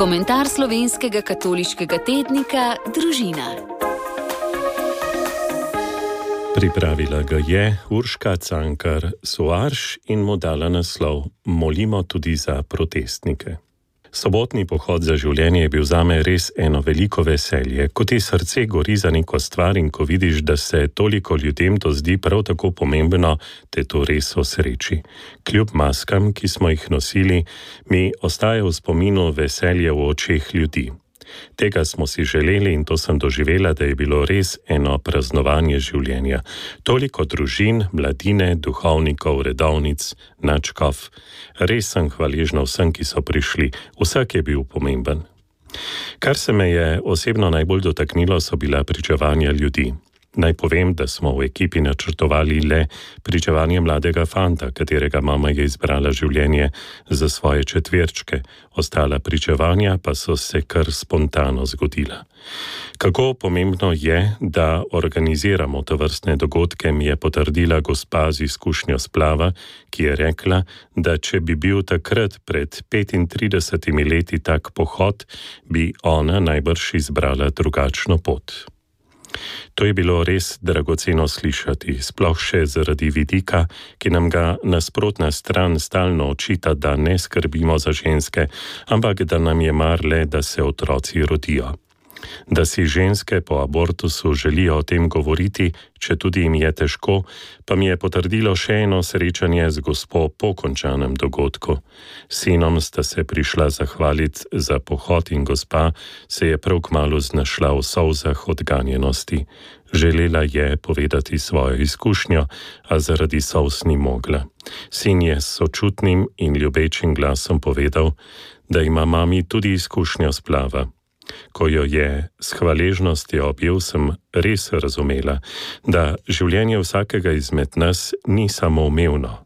Komentar slovenskega katoliškega tednika Družina. Pripravila ga je Urška Cankar Soarš in mu dala naslov Molimo tudi za protestnike. Sobotni pohod za življenje je bil zame res eno veliko veselje, ko ti srce gori za neko stvar in ko vidiš, da se toliko ljudem to zdi prav tako pomembno, te to res osreči. Kljub maskam, ki smo jih nosili, mi ostaja v spominu veselje v očeh ljudi. Tega smo si želeli in to sem doživela, da je bilo res eno praznovanje življenja. Toliko družin, mladine, duhovnikov, redovnic, nadškof. Res sem hvaležna vsem, ki so prišli. Vsak je bil pomemben. Kar se me je osebno najbolj dotaknilo, so bila pričevanja ljudi. Naj povem, da smo v ekipi načrtovali le pričevanje mladega fanta, katerega mama je izbrala življenje za svoje četverčke. Ostala pričevanja pa so se kar spontano zgodila. Kako pomembno je, da organiziramo tovrstne dogodke, mi je potrdila gospa z izkušnjo splava, ki je rekla, da če bi bil takrat pred 35 leti tak pohod, bi ona najbrž izbrala drugačno pot. To je bilo res dragoceno slišati, sploh še zaradi vidika, ki nam ga nasprotna stran stalno očita, da ne skrbimo za ženske, ampak da nam je mar le, da se otroci rodijo. Da si ženske po abortusu želijo o tem govoriti, če tudi jim je težko, pa mi je potrdilo še eno srečanje z gospo po končanem dogodku. Sinom sta se prišla zahvaliti za pohod in gospa se je prav kmalu znašla v solzah odganjenosti. Želela je povedati svojo izkušnjo, a zaradi solz ni mogla. Sin je s sočutnim in ljubečim glasom povedal, da ima mami tudi izkušnjo splava. Ko jo je s hvaležnostjo objel, sem res razumela, da življenje vsakega izmed nas ni samoumevno.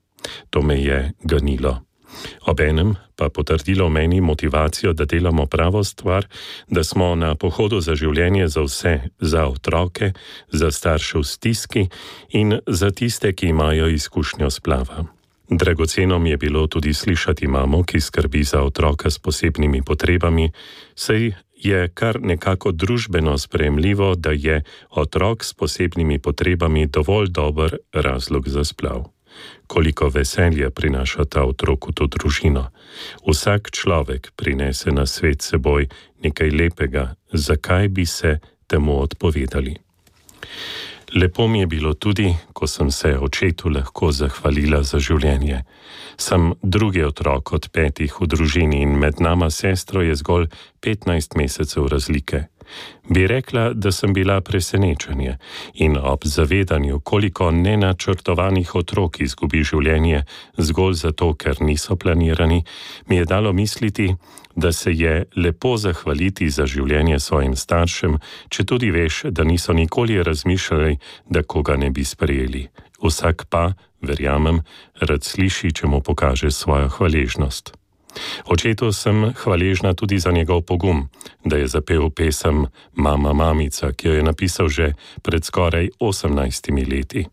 To me je ganilo. Obenem pa potrdilo meni motivacijo, da delamo pravo stvar, da smo na pohodu za življenje za vse, za otroke, za starše v stiski in za tiste, ki imajo izkušnjo splava. Dragoceno mi je bilo tudi slišati mamo, ki skrbi za otroka s posebnimi potrebami, saj je kar nekako družbeno sprejemljivo, da je otrok s posebnimi potrebami dovolj dober razlog za splav. Koliko veselja prinaša ta otrok v to družino. Vsak človek prinese na svet seboj nekaj lepega, zakaj bi se temu odpovedali. Lepo mi je bilo tudi, ko sem se očetu lahko zahvalila za življenje. Sem drugi otrok od 5 v družini in med nama sestro je zgolj 15 mesecev razlike. Bi rekla, da sem bila presenečenje in ob zavedanju, koliko nenačrtovanih otrok izgubi življenje zgolj zato, ker niso planirani, mi je dalo misliti, da se je lepo zahvaliti za življenje svojim staršem, če tudi veš, da niso nikoli razmišljali, da koga ne bi sprejeli. Vsak pa, verjamem, rad sliši, če mu pokaže svojo hvaležnost. Očetu sem hvaležna tudi za njegov pogum, da je zapel pesem Mama, mamica, ki jo je napisal že pred skoraj 18 leti.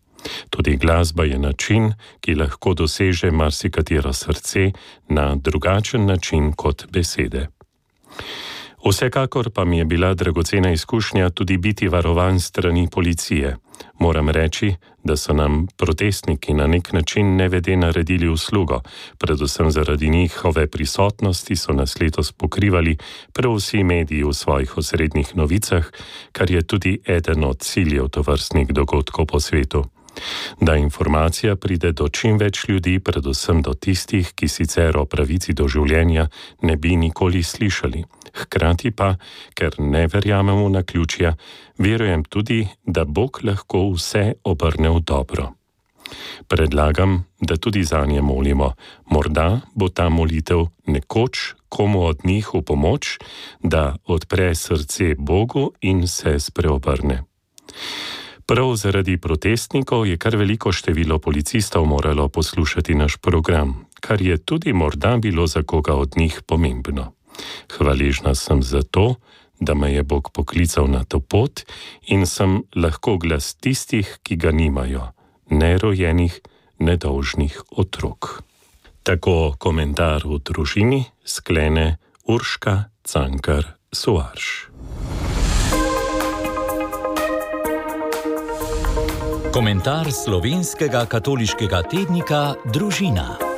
Tudi glasba je način, ki lahko doseže marsikatero srce na drugačen način kot besede. Vsekakor pa mi je bila dragocena izkušnja tudi biti varovan strani policije. Moram reči, da so nam protestniki na nek način nevede naredili uslugo, predvsem zaradi njihove prisotnosti so nas letos pokrivali prav vsi mediji v svojih osrednjih novicah, kar je tudi eden od ciljev tovrstnih dogodkov po svetu. Da informacija pride do čim več ljudi, predvsem do tistih, ki sicer o pravici do življenja ne bi nikoli slišali. Hkrati pa, ker ne verjamem v naključja, verujem tudi, da Bog lahko vse obrne v dobro. Predlagam, da tudi zanje molimo. Morda bo ta molitev nekoč komu od njih v pomoč, da odpre srce Bogu in se spreobrne. Prav zaradi protestnikov je kar veliko število policistov moralo poslušati naš program, kar je tudi morda bilo za koga od njih pomembno. Hvaležna sem za to, da me je Bog poklical na to pot in sem lahko glas tistih, ki ga nimajo, nerojenih, nedolžnih otrok. Tako komentar v družini sklene Urška Cankar Soares. Komentar slovenskega katoliškega tednika Družina.